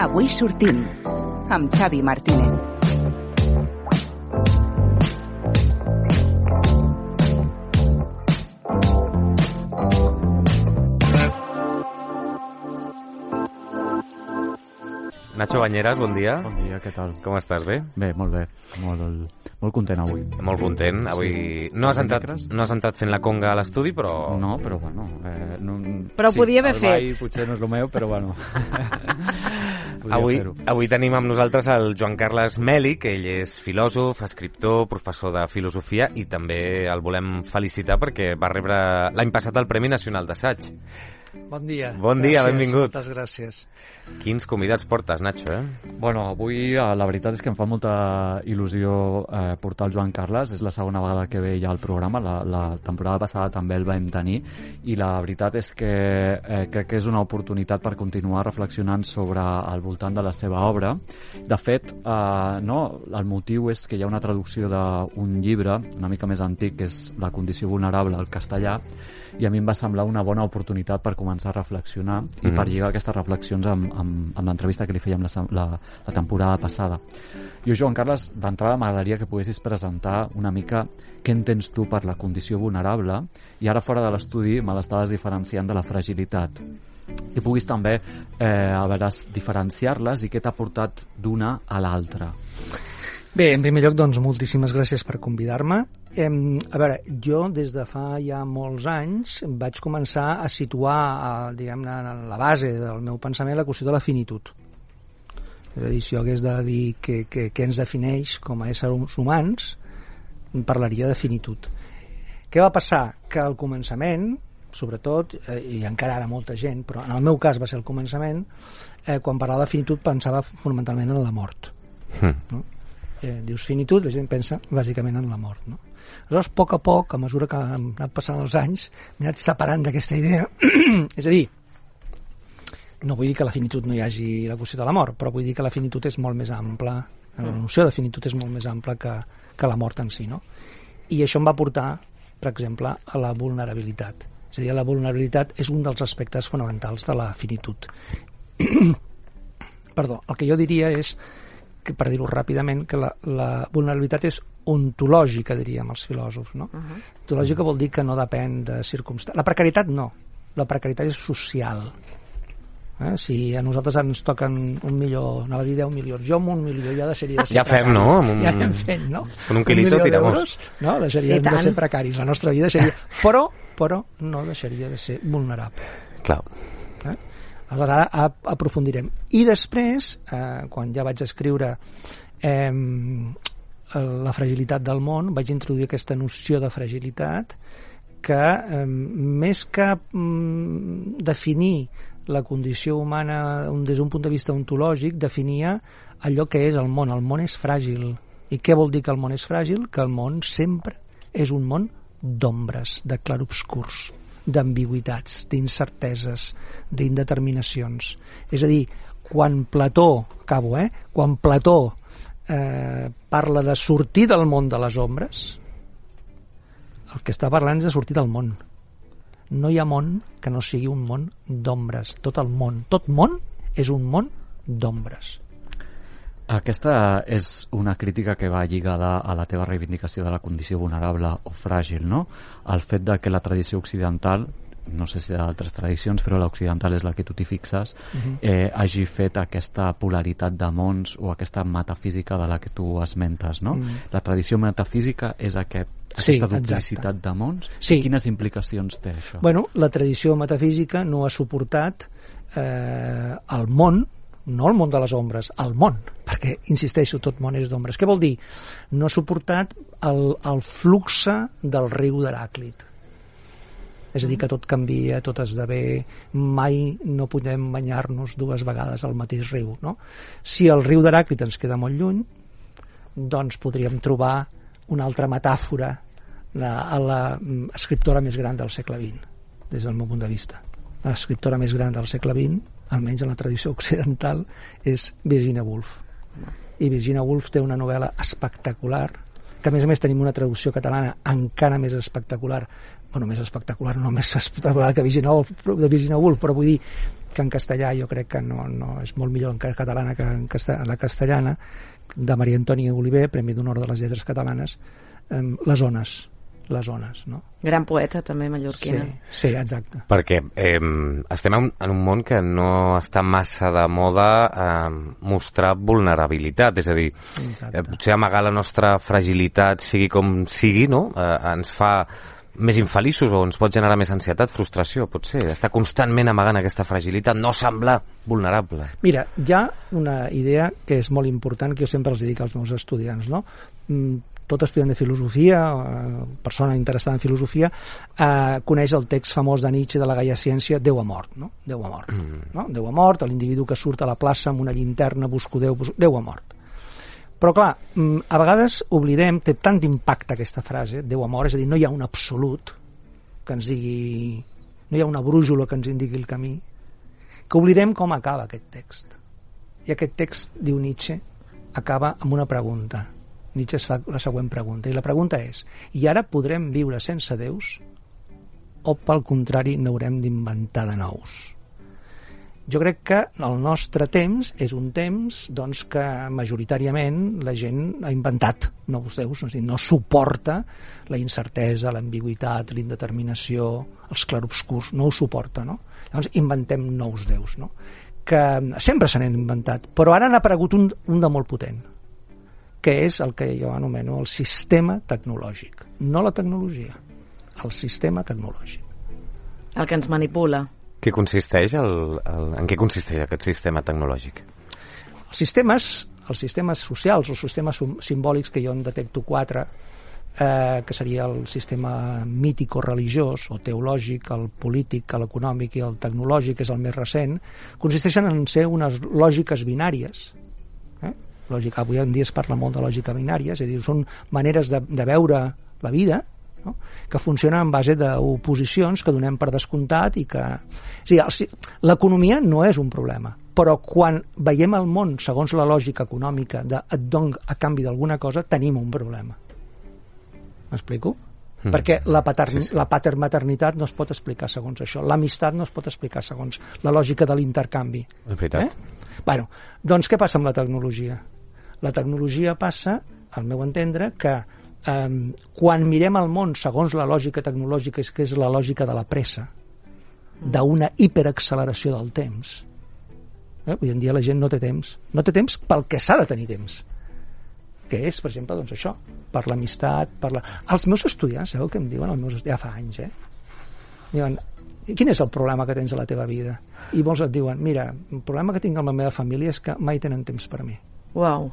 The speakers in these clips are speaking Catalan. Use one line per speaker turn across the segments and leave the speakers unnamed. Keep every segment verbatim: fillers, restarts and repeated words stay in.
Avui sortim amb Xavi Martínez.
Nacho Bañeras, bon dia.
Bon dia, què tal?
Com estàs, bé?
Bé, molt bé. Molt, molt content avui.
Molt content. Avui
Sí.
no, has entrat, no has entrat fent la conga a l'estudi, però...
No, però bueno... Eh, no,
Però
sí,
podia haver
el ball
fet.
potser no és el meu, però bueno...
Avui, avui tenim amb nosaltres el Joan Carles Meli, que ell és filòsof, escriptor, professor de filosofia, i també el volem felicitar perquè va rebre l'any passat el Premi Nacional d'Assaig.
Bon dia.
Bon dia,
gràcies,
benvingut.
Moltes gràcies.
Quins convidats portes, Nacho, eh?
Bueno, avui eh, la veritat és que em fa molta il·lusió eh, portar el Joan Carles. És la segona vegada que ve ja al programa. La, la temporada passada també el vam tenir i la veritat és que eh, crec que és una oportunitat per continuar reflexionant sobre al voltant de la seva obra. De fet, eh, no, el motiu és que hi ha una traducció d'un llibre una mica més antic, que és La condició vulnerable al castellà, i a mi em va semblar una bona oportunitat per començar a reflexionar i mm-hmm. per lligar aquestes reflexions amb, amb, amb l'entrevista que li fèiem la, la, la temporada passada. Jo, Joan Carles, d'entrada m'agradaria que poguessis presentar una mica què entens tu per la condició vulnerable, i ara fora de l'estudi me l'estaves diferenciant de la fragilitat. I puguis també eh, a veure, diferenciar-les i què t'ha portat d'una a l'altra.
Bé, en primer lloc, doncs, moltíssimes gràcies per convidar-me. Eh, a veure, jo des de fa ja molts anys vaig començar a situar, a, diguem-ne, en la base del meu pensament la qüestió de la finitud. És a dir, si jo hagués de dir què, què, què ens defineix com a éssers humans, parlaria de finitud. Què va passar? Que al començament, sobretot, eh, i encara ara molta gent, però en el meu cas va ser el començament, eh, quan parlava de finitud pensava fonamentalment en la mort. Mm. No? Eh, dius finitud, la gent pensa bàsicament en la mort, no? Aleshores, a poc a poc, a mesura que han anat passant els anys, m'he anat separant d'aquesta idea. És a dir, no vull dir que a la finitud no hi hagi la qüestió de la mort, però vull dir que la finitud és molt més ampla, la noció de finitud és molt més ampla que, que la mort en si, no? I això em va portar, per exemple, a la vulnerabilitat. És a dir, la vulnerabilitat és un dels aspectes fonamentals de la finitud. Perdó, el que jo diria és que, per dir-ho ràpidament, que la, la vulnerabilitat és ontològica, diríem els filòsofs, no? Uh-huh. Ontològica vol dir que no depèn de circumstàncies. La precarietat no, la precarietat és social. Eh? Si a nosaltres ens toquen un milió, anava a dir deu milions, jo amb un milió ja deixaria de ser
ja fem, no? Un...
Ja anem fent, no?
Con un quilito
un
tiramos.
No? Deixaríem de ser precaris, la nostra vida seria... Però, però no deixaria de ser vulnerable.
Clar.
Eh? Aleshores, ara aprofundirem. I després, eh, quan ja vaig escriure eh, la fragilitat del món, vaig introduir aquesta noció de fragilitat que, eh, més que mm, definir la condició humana des d'un punt de vista ontològic, definia allò que és el món. El món és fràgil. I què vol dir que el món és fràgil? Que el món sempre és un món d'ombres, de clarobscurs, d'ambigüitats, d'incerteses, d'indeterminacions. És a dir, quan Plató, acabo, eh? Quan Plató eh, parla de sortir del món de les ombres, el que està parlant és de sortir del món. No hi ha món que no sigui un món d'ombres. Tot el món, tot món és un món d'ombres.
Aquesta és una crítica que va lligada a la teva reivindicació de la condició vulnerable o fràgil, no? El fet de que la tradició occidental, no sé si hi ha altres tradicions, però l'occidental és la que tu t'hi fixes, uh-huh. eh, hagi fet aquesta polaritat de mons o aquesta metafísica de la que tu esmentes, no? Uh-huh. La tradició metafísica és aquest,
sí,
aquesta duplicitat de mons?
Sí.
Quines implicacions té això?
Bueno, la tradició metafísica no ha suportat eh, el món, no el món de les ombres, el món, perquè, insisteixo, tot món és d'ombres. Què vol dir? No ha suportat el, el fluxe del riu d'Heràclit. És a dir, que tot canvia, tot esdevé, mai no podem banyar-nos dues vegades al mateix riu, no? Si el riu d'Heràclit ens queda molt lluny, doncs podríem trobar una altra metàfora de, a l'escriptora més gran del segle vint, des del meu punt de vista. L'escriptora més gran del segle vint, almenys en la tradició occidental, és Virginia Woolf. I Virginia Woolf té una novel·la espectacular, que a més a més tenim una traducció catalana encara més espectacular, bueno, més espectacular, no més espectacular que Virginia Woolf, de Virginia Woolf, però vull dir, que en castellà jo crec que no, no és molt millor en catalana que en castellà, la castellana, de Maria Antònia Oliver, Premi d'Honor de les Lletres Catalanes, eh, les ones, les ones, no?
Gran poeta, també, mallorquina.
Sí, sí, exacte.
Perquè eh, estem en, en un món que no està massa de moda eh, mostrar vulnerabilitat, és a dir, eh, potser amagar la nostra fragilitat, sigui com sigui, no? Eh, ens fa més infeliços o ens pot generar més ansietat, frustració, potser. Estar constantment amagant aquesta fragilitat, no semblar vulnerable.
Mira, hi ha una idea que és molt important, que jo sempre els dic als meus estudiants, no? Tot estudiant de filosofia, persona interessada en filosofia, eh, coneix el text famós de Nietzsche de la Gaia Ciència, Déu ha mort, no? Déu ha mort. Mm. No? Déu ha mort, l'individu que surt a la plaça amb una llinterna, busco Déu, busco... Déu ha mort. Però clar, a vegades oblidem, té tant d'impacte aquesta frase, Déu ha mort, és a dir, no hi ha un absolut que ens digui, no hi ha una brújula que ens indiqui el camí, que oblidem com acaba aquest text. I aquest text, diu Nietzsche, acaba amb una pregunta. Nietzsche es fa la següent pregunta, i la pregunta és: i ara podrem viure sense déus o pel contrari n'haurem d'inventar de nous? Jo crec que el nostre temps és un temps doncs, que majoritàriament la gent ha inventat nous déus, no, no suporta la incertesa, l'ambigüitat, l'indeterminació, els clarobscurs, no ho suporta, no? Llavors inventem nous déus, no? Que sempre se n'han inventat, però ara n'ha aparegut un, un de molt potent, que és el que jo anomeno el sistema tecnològic. No la tecnologia, el sistema tecnològic.
El que ens manipula.
Què consisteix el, el, en què consisteix aquest sistema tecnològic?
Els sistemes, els sistemes socials o sistemes simbòlics, que jo en detecto quatre, eh, que seria el sistema mític o religiós o teològic, el polític, l'econòmic i el tecnològic, que és el més recent, consisteixen en ser unes lògiques binàries. Lògica, avui en dia es parla molt de lògica binària, és a dir, són maneres de, de veure la vida, no? Que funcionen en base d'oposicions que donem per descomptat i que... O sigui, l'economia no és un problema, però quan veiem el món segons la lògica econòmica de et dono a canvi d'alguna cosa, tenim un problema. M'explico? Mm. Perquè la, patern... sí, sí. la patermaternitat no es pot explicar segons això, l'amistat no es pot explicar segons la lògica de l'intercanvi.
És veritat.
Eh? Bueno, doncs què passa amb la tecnologia? La tecnologia passa, al meu entendre, que eh, quan mirem el món segons la lògica tecnològica, que és la lògica de la pressa, d'una hiperacceleració del temps, eh? Avui en dia la gent no té temps, no té temps pel que s'ha de tenir temps, que és, per exemple, doncs això, per l'amistat, per la... Els meus estudiants, sabeu què em diuen? Els meus estudiants, ja fa anys, eh? Diuen, quin és el problema que tens a la teva vida? I molts et diuen, mira, el problema que tinc amb la meva família és que mai tenen temps per mi.
Uau.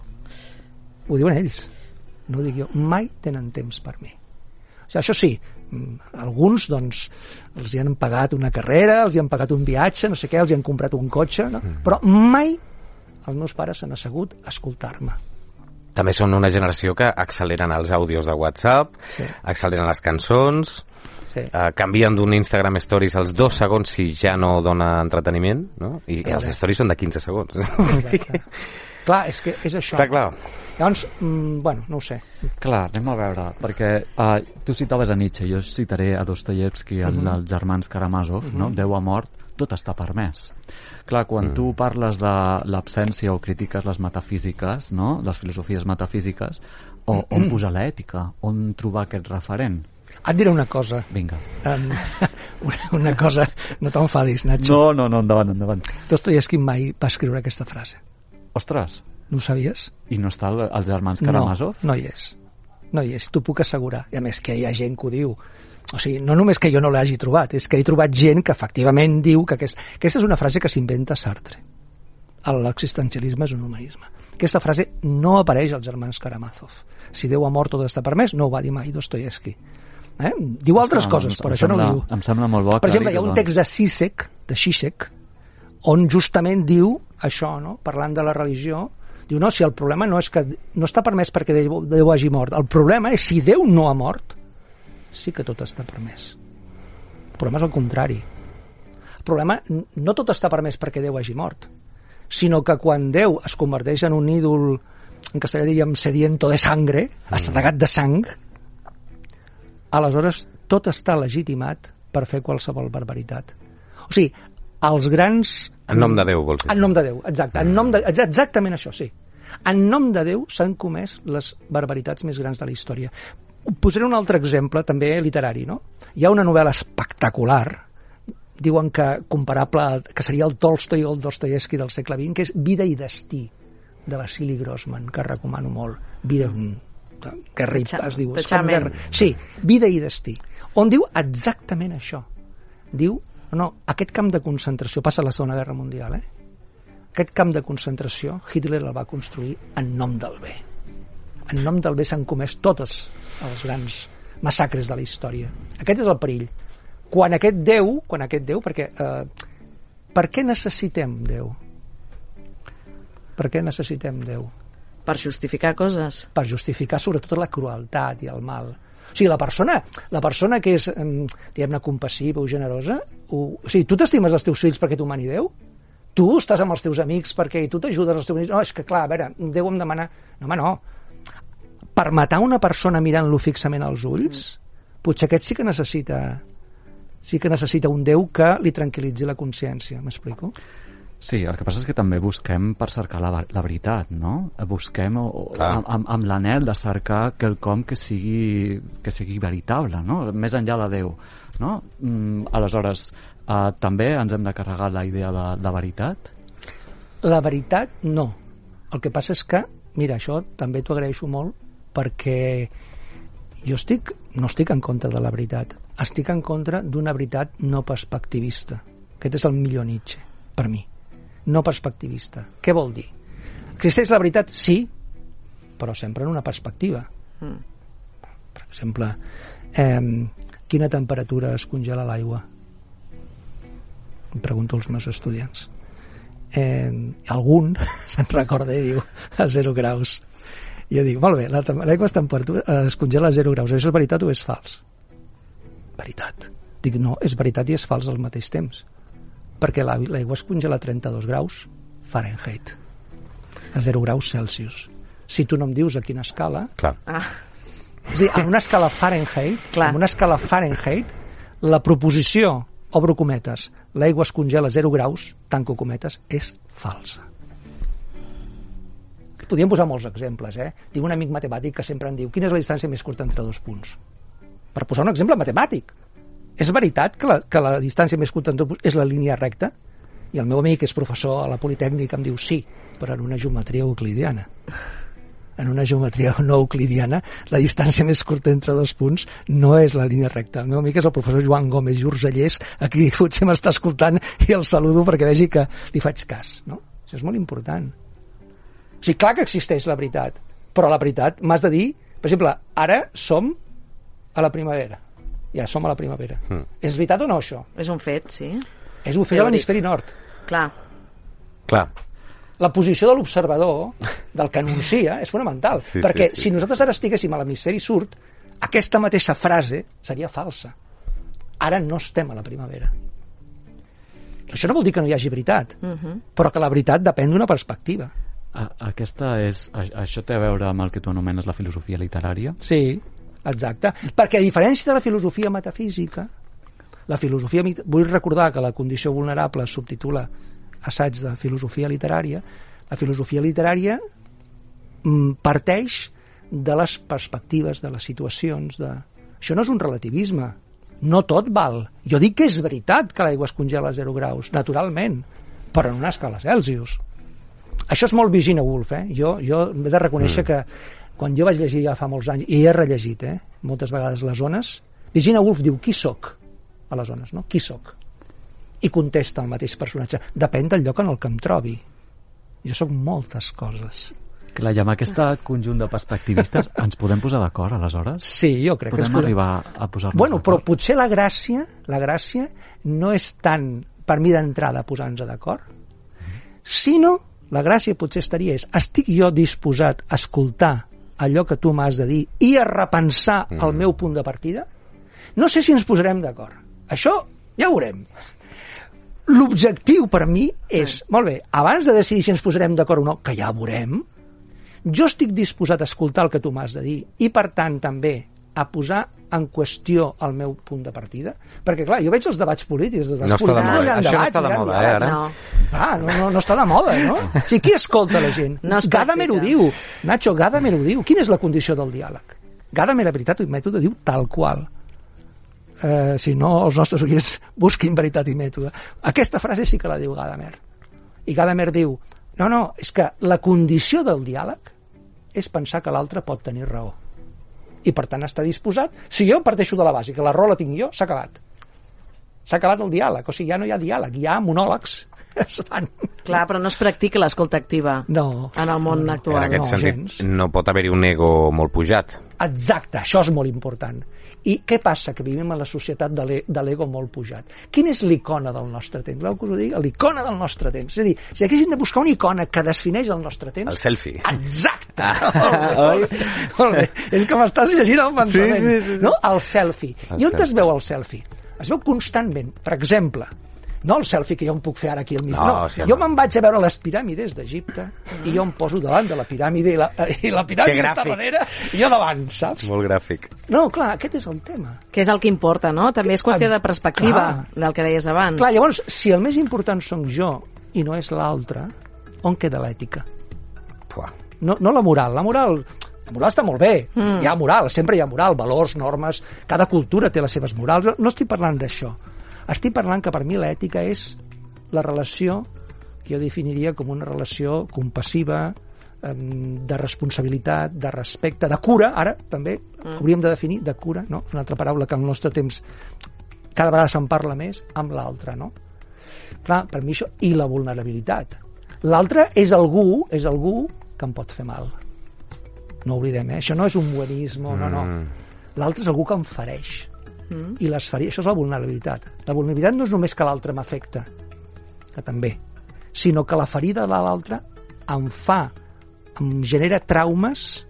Ho diuen ells, no ho dic jo, mai tenen temps per mi. O sigui, això sí, alguns doncs els hi han pagat una carrera, els hi han pagat un viatge, no sé què, els hi han comprat un cotxe, no? Però mai els meus pares s'han assegut a escoltar-me.
També són una generació que acceleren els àudios de WhatsApp, sí. Acceleren les cançons, sí. eh, canvien d'un Instagram Stories als dos segons si ja no dona entreteniment, no? I clar, els stories són de quinze segons.
Exacte. Clar, és que és això.
Clar, clar.
Llavors, mm, bueno, no ho sé.
Clar, anem a veure, perquè uh, tu citaves a Nietzsche, jo citaré a Dostoyevsky, el, uh -huh. els germans Karamazov, uh -huh. no? Déu ha mort, tot està permès. Clar, quan mm. tu parles de l'absència o critiques les metafísiques, no? Les filosofies metafísiques, o, on posar l'ètica? On trobar aquest referent?
Et diré una cosa.
Vinga.
Um, una, una cosa, no t'enfadis, Nacho.
No, no, no, endavant, endavant.
Dostoyevsky mai va escriure aquesta frase.
Ostres.
No ho sabies?
I no està el, els germans Karamazov?
No, no hi és. No hi és, t'ho puc assegurar. I a més que hi ha gent que ho diu. O sigui, no només que jo no l'hagi trobat, és que he trobat gent que efectivament diu que aquest... aquesta és una frase que s'inventa Sartre. L'existencialisme és un humanisme. Aquesta frase no apareix als germans Karamazov. Si Déu ha mort tot està permès, no ho va dir mai Dostoyevsky. Eh? Diu altres
Esclar,
coses,
em,
però
em
això
sembla,
no ho diu.
Em sembla molt bo.
Per exemple, hi ha un text de Zizek, de Zizek, on justament diu això, no? Parlant de la religió, diu, no, si el problema no és que no està permès perquè Déu, Déu hagi mort, el problema és si Déu no ha mort, sí que tot està permès. El problema és el contrari. El problema no tot està permès perquè Déu hagi mort, sinó que quan Déu es converteix en un ídol, en castellà diríem sediento de sangre, assedegat de sang, aleshores tot està legitimat per fer qualsevol barbaritat. O sigui, els grans...
En nom de Déu, vols dir?
En nom de Déu, exacte. En nom de... Exactament això, sí. En nom de Déu s'han comès les barbaritats més grans de la història. Posaré un altre exemple, també literari, no? Hi ha una novel·la espectacular, diuen que comparable, que seria el Tolstoi o el Dostoyevsky del segle vint, que és Vida i destí, de Vasily Grossman, que recomano molt. Vida... que rip, es diu. Sí, Vida i destí, on diu exactament això. Diu, no, aquest camp de concentració, passa a la Segona Guerra Mundial, eh? Aquest camp de concentració Hitler el va construir en nom del bé. En nom del bé s'han comès totes els grans massacres de la història. Aquest és el perill. Quan aquest Déu, quan aquest Déu, perquè eh, per què necessitem Déu? Per què necessitem Déu?
Per justificar coses.
Per justificar sobretot la crueltat i el mal. O sigui, la persona, la persona que és, diguem-ne, compassiva o generosa, o, o sigui, tu t'estimes els teus fills perquè t'ho mani Déu? Tu estàs amb els teus amics perquè tu t'ajudes als teus amics? No, és que clar, a veure, Déu em demana... No, home, no. Per matar una persona mirant-lo fixament als ulls, potser aquest sí que necessita sí que necessita un Déu que li tranquil·litzi la consciència, m'explico?
Sí, el que passa és que també busquem per cercar la, la veritat, no? Busquem o, o, amb, amb l'anhel de cercar quelcom que sigui, que sigui veritable, no? Més enllà de Déu, no? Mm, aleshores, eh, també ens hem de carregar la idea de la veritat?
La veritat, no. El que passa és que, mira, això també t'ho agraeixo molt perquè jo estic, no estic en contra de la veritat, estic en contra d'una veritat no perspectivista. Aquest és el millor Nietzsche, per mi. No perspectivista. Què vol dir? Existeix la veritat? Sí, però sempre en una perspectiva. Mm. Per exemple, eh, quina temperatura es congela l'aigua? Em pregunto als meus estudiants. Eh, algun se'n recorda i diu a zero graus. I jo dic, molt bé, l'aigua es, temperatura, es congela a zero graus. Això és veritat o és fals? Veritat. Dic, no, és veritat i és fals al mateix temps. Perquè l'aigua es congela a trenta-dos graus Fahrenheit, a zero graus Celsius. Si tu no em dius a quina escala...
Clar.
Ah.
És a dir, en una escala Fahrenheit,
Clar.
en una escala Fahrenheit, la proposició, obro cometes, l'aigua es congela a zero graus, tanco cometes, és falsa. Podríem posar molts exemples, eh? Tinc un amic matemàtic que sempre em diu quina és la distància més curta entre dos punts. Per posar un exemple matemàtic. És veritat que la, que la distància més curta entre dos punts és la línia recta? I el meu amic, que és professor a la Politècnica, em diu sí, però en una geometria euclidiana. En una geometria no euclidiana, la distància més curta entre dos punts no és la línia recta. El meu amic és el professor Joan Gómez Jurcellers, aquí potser m'està escoltant i el saludo perquè vegi que li faig cas, no? Això és molt important. O sigui, clar que existeix la veritat, però la veritat m'has de dir, per exemple, ara som a la primavera. Ja som a la primavera. Mm. És veritat o no, això?
És un fet, sí.
És un fet a l'hemisferi nord.
Clar.
Clar.
La posició de l'observador, del que anuncia, és fonamental. Sí, perquè sí, sí. Si nosaltres ara estiguéssim a l'hemisferi sud, aquesta mateixa frase seria falsa. Ara no estem a la primavera. Això no vol dir que no hi hagi veritat, uh-huh. però que la veritat depèn d'una perspectiva.
Aquesta és, això té a veure amb el que tu anomenes la filosofia literària?
Sí, exacte. Perquè a diferència de la filosofia metafísica, la filosofia, vull recordar que La condició vulnerable es subtitula Assaig de filosofia literària, la filosofia literària parteix de les perspectives, de les situacions, de... Això no és un relativisme, no tot val. Jo dic que és veritat que l'aigua es congela a zero graus, naturalment, però en una escala Celsius. Això és molt Virginia Woolf, eh? Jo, jo he de reconèixer mm. que quan jo vaig llegir ja fa molts anys, i he rellegit, eh? moltes vegades les ones, Virginia Woolf diu, qui soc? A les ones, no? Qui soc? I contesta el mateix personatge. Depèn del lloc en el que em trobi. Jo sóc moltes coses.
Clar, i amb aquest conjunt de perspectivistes ens podem posar d'acord, aleshores?
Sí, jo crec
podem
que... Podem
arribar a posar-nos
bueno,
d'acord?
Però potser la gràcia, la gràcia no és tant, per mi d'entrada, posar-nos d'acord, sinó la gràcia potser estaria és, estic jo disposat a escoltar allò que tu m'has de dir i a repensar mm. el meu punt de partida? No sé si ens posarem d'acord. Això ja ho veurem. L'objectiu per mi és, sí. molt bé, abans de decidir si ens posarem d'acord o no, que ja ho veurem, jo estic disposat a escoltar el que tu m'has de dir i, per tant, també a posar en qüestió el meu punt de partida? Perquè, clar, jo veig els debats polítics. Els debats
no està de
polítics,
moda,
no
això no està de moda, eh, ara?
No.
Ah, no, no, no està de moda, no? O sigui, qui escolta la gent?
No es
Gadamer ho
practica.
diu, Nacho, Gadamer ho diu. Quina és la condició del diàleg? Gadamer, la veritat i mètode, diu tal qual. Eh, si no, els nostres oients busquin veritat i mètode. Aquesta frase sí que la diu Gadamer. I Gadamer diu, no, no, és que la condició del diàleg és pensar que l'altre pot tenir raó. I per tant està disposat. Si jo parteixo de la base, que la raó la tinc jo, s'ha acabat. S'ha acabat el diàleg. O sigui, ja no hi ha diàleg, hi ha monòlegs. Es fan.
Clar, però no es practica l'escolta activa
No.
en el món
no,
actual.
En aquest
no,
sentit,
gens.
no pot haver-hi un ego molt pujat.
Exacte, això és molt important. I què passa? Que vivim en la societat de l'e- de l'ego molt pujat. Quina és l'icona del nostre temps? Veu que us ho dic? L'icona del nostre temps. És a dir, si haguéssim de buscar una icona que defineix el nostre temps...
El selfie.
Exacte! Ah. Molt bé, molt bé. És que m'estàs llegint el pensament.
Sí, sí, sí, sí.
No? El selfie.
El
I on
selfie.
es veu el selfie? Es veu constantment. Per exemple, no el selfie que jo em puc fer ara aquí al mig.
No,
No,
sí,
jo
home.
me'n vaig a veure les piràmides d'Egipte i jo em poso davant de la piràmide i la, i la piràmide
Que
està
gràfic.
darrere i jo davant, saps?
Molt gràfic.
No, clar, aquest és el tema.
Que és el que importa, no? També és qüestió de perspectiva,
Clar.
del que deies abans.
Clar, llavors, si el més important som jo i no és l'altre, on queda l'ètica?
Puah.
No, no la moral. La moral, la moral està molt bé. Mm. Hi ha moral, sempre hi ha moral, valors, normes, cada cultura té les seves morals. No, no estic parlant d'això. Estic parlant que per mi l'ètica és la relació que jo definiria com una relació compassiva, em, de responsabilitat, de respecte, de cura, ara també mm. hauríem de definir de cura, no? És una altra paraula que al nostre temps cada vegada se'n parla més, amb l'altre, no? Clar, per mi això, i la vulnerabilitat. L'altre és algú, és algú que em pot fer mal. No oblidem, eh? Això no és un buenisme, no, no. L'altre és algú que em fereix. Mm. I les ferides, això és la vulnerabilitat. La vulnerabilitat no és només que l'altre m'afecta, que també, sinó que la ferida de l'altre em fa, em genera traumes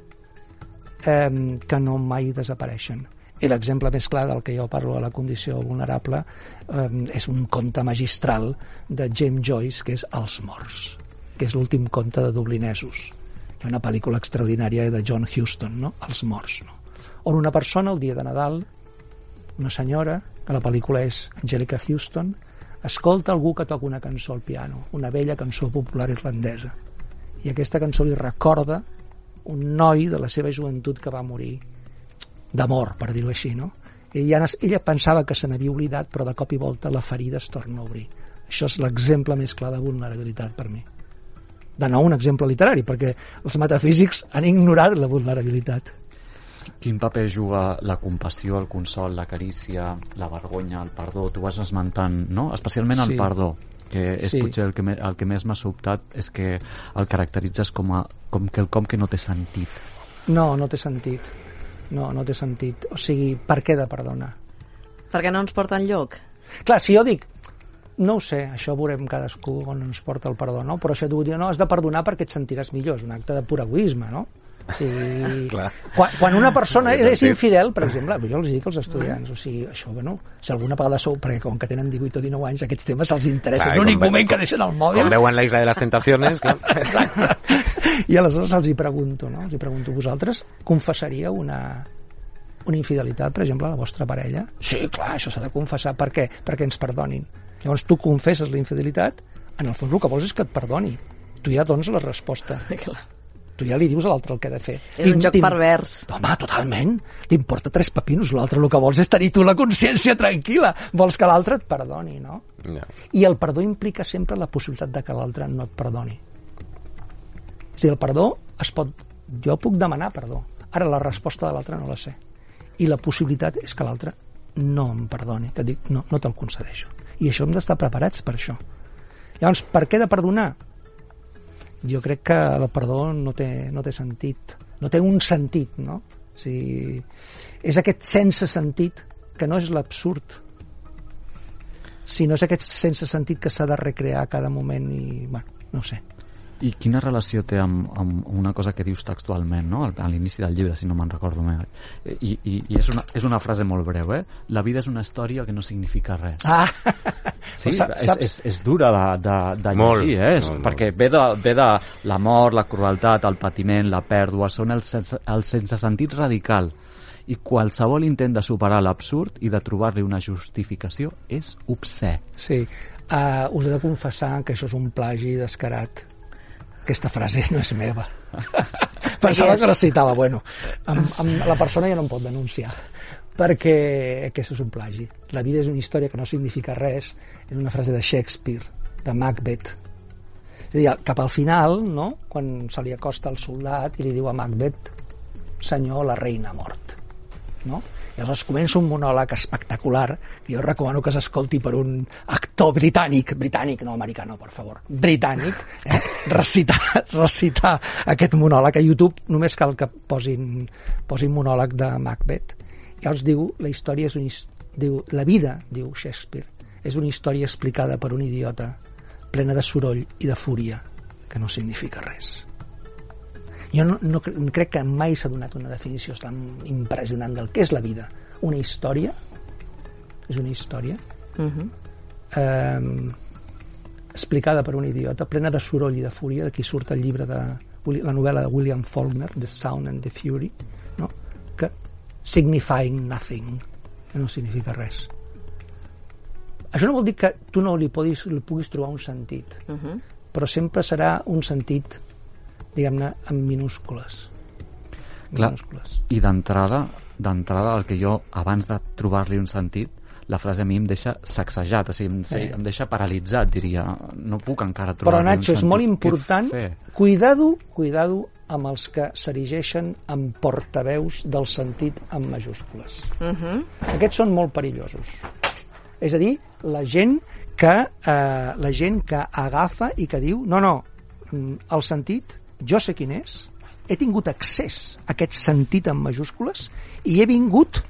eh, que no mai desapareixen. I l'exemple més clar del que jo parlo de la condició vulnerable eh, és un conte magistral de James Joyce, que és Els morts, que és l'últim conte de dublinesos. Hi ha una pel·lícula extraordinària de John Huston, no? Els morts, no? On una persona, el dia de Nadal, una senyora, que la pel·lícula és Angelica Houston, escolta algú que toca una cançó al piano, una vella cançó popular irlandesa. I aquesta cançó li recorda un noi de la seva joventut que va morir d'amor, per dir-ho així, no? I ella, ella pensava que se n'havia oblidat, però de cop i volta la ferida es torna a obrir. Això és l'exemple més clar de vulnerabilitat per mi. De nou, un exemple literari, perquè els metafísics han ignorat la vulnerabilitat.
Quin paper juga la compassió, el consol, la carícia, la vergonya, el perdó? Tu vas esmentant, no? Especialment el
Sí.
perdó, que és
Sí.
potser el que, me, el que més m'ha sobtat, és que el caracteritzes com, a, com quelcom que no té sentit.
No, no té sentit. No, no té sentit. O sigui, per què de perdonar?
Perquè no ens porta enlloc.
Clar, si jo dic, no ho sé, això ho veurem cadascú on ens porta el perdó, no? Però això tu dius, no, has de perdonar perquè et sentiràs millor, és un acte de pur egoisme, no? I
Clar.
quan, quan una persona
Aquest
és
sentit.
infidel, per exemple, jo els dic als estudiants, o sigui, això, bueno, si alguna vegada sou, perquè com que tenen divuit o dinou anys, aquests temes se'ls interessa,
Clar,
l'únic
com ve-
moment que deixen el mòbil.
Com veuen la Isla de les Tentaciones, clar.
Exacte. I aleshores els hi pregunto, no? Els hi pregunto, vosaltres confessaríeu una, una infidelitat, per exemple, a la vostra parella? Sí, clar, això s'ha de confessar. Per què? Perquè ens perdonin. Llavors tu confesses la infidelitat, en el fons el que vols és que et perdoni. Tu ja dones la resposta.
Clar.
Tu ja li dius a l'altre el que ha de fer.
És un
T'im-
joc
t'im-
pervers.
Home, totalment. T'importa tres pepinos. L'altre el que vols és tenir tu la consciència tranquil·la. Vols que l'altre et perdoni, no?
Ja.
I el perdó implica sempre la possibilitat de que l'altre no et perdoni. O sigui, el perdó es pot... Jo puc demanar perdó. Ara la resposta de l'altre no la sé. I la possibilitat és que l'altre no em perdoni, que dic, no, no te'l concedeixo. I això hem d'estar preparats per això. Llavors, per què de perdonar? Jo crec que el perdó no té, no té sentit. No té un sentit, no? O sigui, és aquest sense sentit que no és l'absurd, sinó és aquest sense sentit que s'ha de recrear a cada moment i, bueno, no ho sé.
I quina relació té amb, amb una cosa que dius textualment, no? A l'inici del llibre, si no me'n recordo més. I, i, i és, una, és una frase molt breu, eh? La vida és una història que no significa res.
Ah!
Sí,
Saps-
és, és, és dura de, de, de
Molt,
llegir, eh? És,
molt,
perquè ve de, ve de la mort, la crueltat, el patiment, la pèrdua, són el sense, el sense sentit radical. i qualsevol intent de superar l'absurd i de trobar-li una justificació és obscè.
Sí, uh, us he de confessar que això és un plagi descarat. Aquesta frase no és meva. Pensava que la citava. Bueno, amb, amb la persona ja no em pot denunciar, perquè aquest és un plagi. La vida és una història que no significa res. És una frase de Shakespeare, de Macbeth. És a dir, cap al final, no?, quan se li acosta el soldat i li diu a Macbeth: senyor, la reina ha mort, no? I aleshores comença un monòleg espectacular que jo recomano que s'escolti per un actor britànic, britànic, no americà, no, per favor, britànic, eh? recitar, recitar aquest monòleg a YouTube. Només cal que posin, posin monòleg de Macbeth. I llavors diu, la història és un, diu, la vida, diu Shakespeare, és una història explicada per un idiota, plena de soroll i de fúria, que no significa res. Jo no, no crec que mai s'ha donat una definició tan impressionant del que és la vida. Una història, és una història, uh-huh. eh, explicada per un idiota, plena de soroll i de fúria, d'aquí surt el llibre de la novel·la de William Faulkner, The Sound and the Fury, no? Que signifying nothing, que no significa res. Això no vol dir que tu no li puguis, li puguis trobar un sentit, uh-huh. però sempre serà un sentit, diguem-ne, en minúscules.
Clar,
minúscules.
I d'entrada, d'entrada, el que jo, abans de trobar-li un sentit, la frase a mi em deixa sacsejat, o sigui, em, sí. em deixa paralitzat, diria. No puc encara trobar-li un sentit.
Però, Nacho, és molt important, cuidado, cuidado amb els que s'erigeixen en portaveus del sentit en majúscules. Uh-huh. Aquests són molt perillosos. És a dir, la gent que, eh, la gent que agafa i que diu, no, no, el sentit, jo sé quin és, he tingut accés a aquest sentit en majúscules i he vingut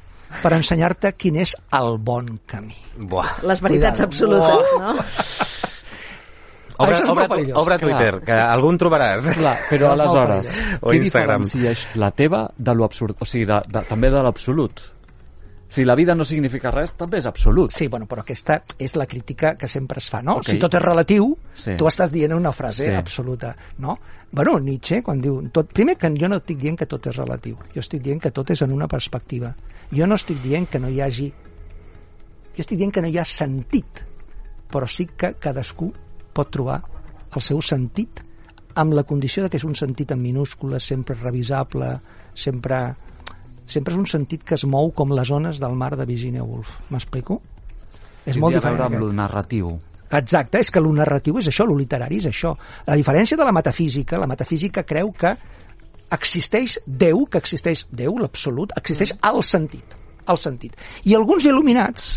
per ensenyar-te quin és el bon camí.
Buah.
Les veritats Cuidado. absolutes, Buah. no?
Obre, obre, obre Twitter, que algun trobaràs.
Clar, però aleshores, què diferencia la teva de l'absurd? O sigui, de, de, també de l'absolut. Si la vida no significa res, també és absolut.
Sí, bueno, però aquesta és la crítica que sempre es fa, no? Okay. Si tot és relatiu, sí. tu estàs dient una frase sí. absoluta, no? Bueno, Nietzsche, quan diu... Tot, primer, que jo no estic dient que tot és relatiu. Jo estic dient que tot és en una perspectiva. Jo no estic dient que no hi hagi... Jo estic dient que no hi ha sentit, però sí que cadascú pot trobar el seu sentit amb la condició de que és un sentit en minúscules, sempre revisable, sempre... sempre és un sentit que es mou com les ones del mar de Virginia Woolf. M'explico? És molt diferent.
Tindria a veure amb el narratiu.
Exacte, és que el narratiu és això, el literari és això. La diferència de la metafísica, la metafísica creu que existeix Déu, que existeix Déu, l'absolut, existeix el sentit, el sentit. I alguns il·luminats,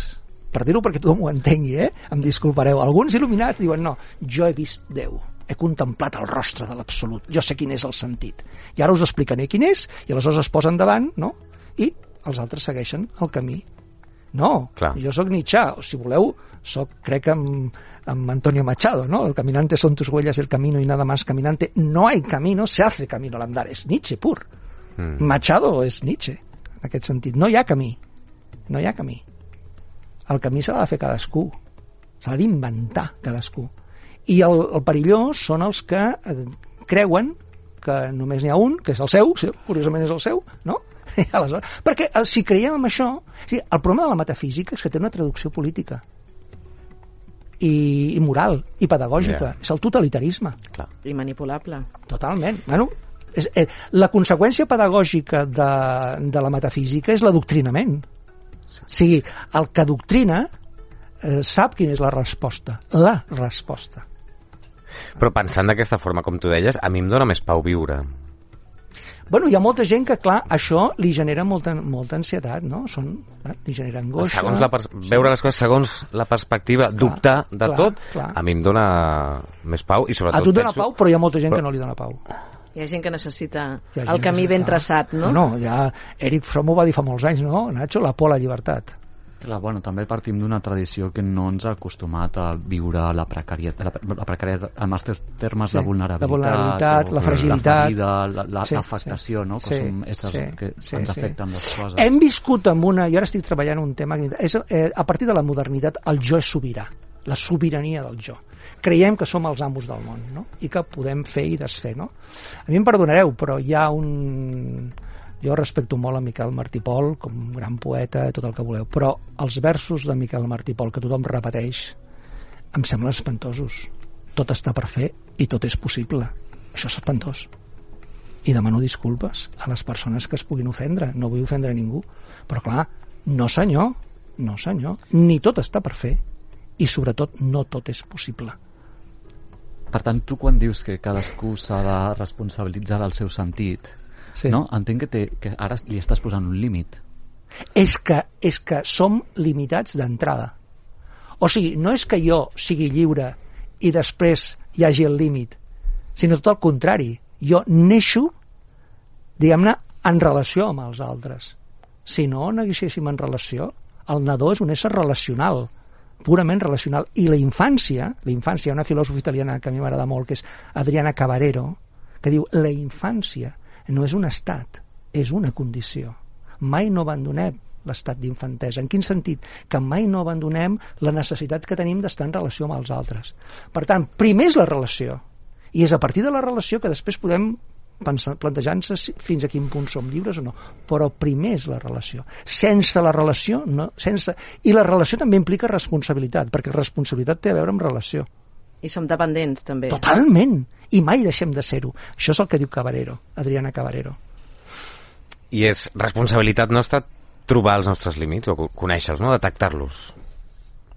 per dir-ho perquè tothom ho entengui, eh? Em disculpareu, alguns il·luminats diuen, no, jo he vist Déu, he contemplat el rostre de l'absolut, jo sé quin és el sentit. I ara us explicaré quin és, i aleshores es posen davant, no? I els altres segueixen el camí. No, Clar. jo sóc Nietzsche, o si voleu, soc, crec, amb, amb Antonio Machado, no? El caminante son tus huellas, el camino y nada más caminante. No hay camino, se hace camino al andar. És Nietzsche pur. Mm. Machado és Nietzsche, en aquest sentit. No hi ha camí. No hi ha camí. El camí se l'ha de fer cadascú. Se l'ha d'inventar cadascú. I el, el perillós són els que eh, creuen que només n'hi ha un, que és el seu, sí, curiosament és el seu, no? Aleshores, perquè si creiem en això, sí, el problema de la metafísica és que té una traducció política i, i moral i pedagògica, yeah. és el totalitarisme.
Clar.
I manipulable.
Totalment. Bueno, és, eh, la conseqüència pedagògica de, de la metafísica és l'adoctrinament. Sí. O sigui, el que adoctrina eh, sap quina és la resposta. La resposta.
Però pensant d'aquesta forma, com tu deies, a mi em dóna més pau viure.
Bueno, hi ha molta gent que, clar, això li genera molta, molta ansietat, no? Són, eh, li genera angoixa.
Segons la pers- veure les coses segons la perspectiva, clar, dubtar de
clar,
tot,
clar.
a mi em dona més pau i sobretot...
A tu et dona
penso...
pau, però hi ha molta gent
però...
que no li dona pau.
Hi ha gent que necessita
el
camí ben traçat, no?
No, no, ja Eric Fromm ho va dir fa molts anys, no? Nacho, la por a la llibertat.
Clar, bueno, també partim d'una tradició que no ens ha acostumat a viure la precarietat, la, la precarietat en els termes sí, de vulnerabilitat,
la, vulnerabilitat
o,
la fragilitat,
la ferida, la, la,
sí,
l'afectació,
sí,
no? Que
sí,
som éssers
sí,
que
sí,
ens
sí.
afecten les coses.
Hem viscut amb una... Jo ara estic treballant un tema... És, eh, a partir de la modernitat, el jo és sobirà. La sobirania del jo. Creiem que som els amos del món, no? I que podem fer i desfer, no? A mi em perdonareu, però hi ha un... Jo respecto molt a Miquel Martí i Pol com un gran poeta, tot el que voleu, però els versos de Miquel Martí i Pol que tothom repeteix em semblen espantosos. Tot està per fer i tot és possible. Això és espantós. I demano disculpes a les persones que es puguin ofendre. No vull ofendre a ningú. Però clar, no senyor, no senyor. Ni tot està per fer i sobretot no tot és possible.
Per tant, tu quan dius que cadascú s'ha de responsabilitzar del seu sentit, sí. no? Entenc que, té, que ara li estàs posant un límit.
És que, és que som limitats d'entrada. O sigui, no és que jo sigui lliure i després hi hagi el límit, sinó tot el contrari. Jo neixo, diguem-ne, en relació amb els altres. Si no naixéssim en relació, el nadó és un ésser relacional, purament relacional. I la infància, la infància, una filòsofa italiana que a mi m'agrada molt, que és Adriana Cavarero, que diu, la infància no és un estat, és una condició. Mai no abandonem l'estat d'infantesa. En quin sentit? Que mai no abandonem la necessitat que tenim d'estar en relació amb els altres. Per tant, primer és la relació, i és a partir de la relació que després podem plantejar-nos fins a quin punt som lliures o no, però primer és la relació. Sense la relació no, sense... i la relació també implica responsabilitat, perquè responsabilitat té a veure amb relació.
I som dependents també.
Totalment, i mai deixem de ser-ho. Això és el que diu Cavarero, Adriana Cavarero.
I és responsabilitat nostra trobar els nostres límits o conèixer-los, no? Detectar-los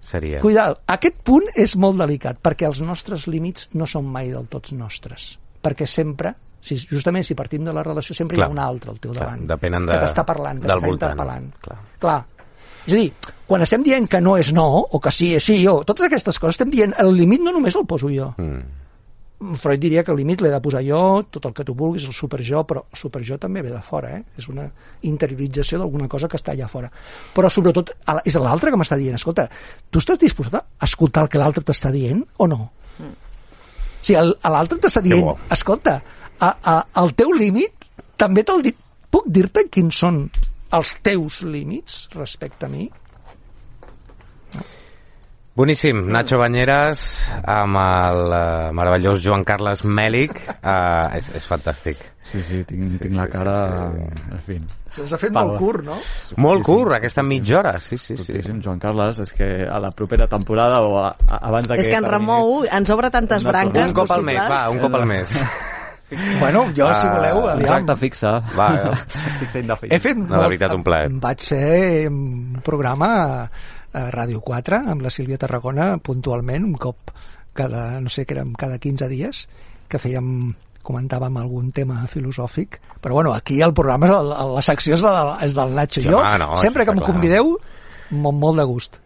seria.
Cuidado, aquest punt és molt delicat, perquè els nostres límits no són mai del tots nostres, perquè sempre Si, justament si partim de la relació sempre clar, hi ha un altre al teu
clar,
davant
depenen de,
que t'està parlant, que t'està interpel·lant clar. clar, és a dir, quan estem dient que no és no, o que sí és sí o totes aquestes coses estem dient, el límit no només el poso jo mm. Freud diria que el límit l'he de posar jo, tot el que tu vulguis, el superjo, però el superjo també ve de fora, eh? És una interiorització d'alguna cosa que està allà fora, però sobretot és l'altre que m'està dient, escolta, tu estàs disposat a escoltar el que l'altre t'està dient o no? Mm. O sigui, l'altre t'està dient, escolta, A, a, el teu límit també te'l dic, puc dir-te quins són els teus límits respecte a mi? No?
Boníssim, Nacho Bañeras amb el uh, meravellós Joan Carles Mèlich, uh, és, és fantàstic.
Sí, sí, tinc, sí, tinc sí, la cara sí, sí. En fi.
Se'ns ha fet Pal. molt curt, no?
Molt curt, aquesta mitja hora, sí, sí, sí.
Joan Carles, és que a la propera temporada o a, a, abans de que...
És que en remou, ens obre tantes branques
un cop al mes, va, un cop al mes.
Bueno, jo, si voleu,
uh,
aviam.
Contracte fixa.
Va, ja.
Fixa indefinit.
He fet
no,
molt,
la veritat, un plaer.
Vaig fer un programa a Ràdio quatre amb la Sílvia Tarragona puntualment, un cop cada, no sé, que érem cada quinze dies, que fèiem, comentàvem algun tema filosòfic, però bueno, aquí el programa, la, la secció és, la, és del Nacho. Jo, no, sempre que em convideu, molt, molt de gust.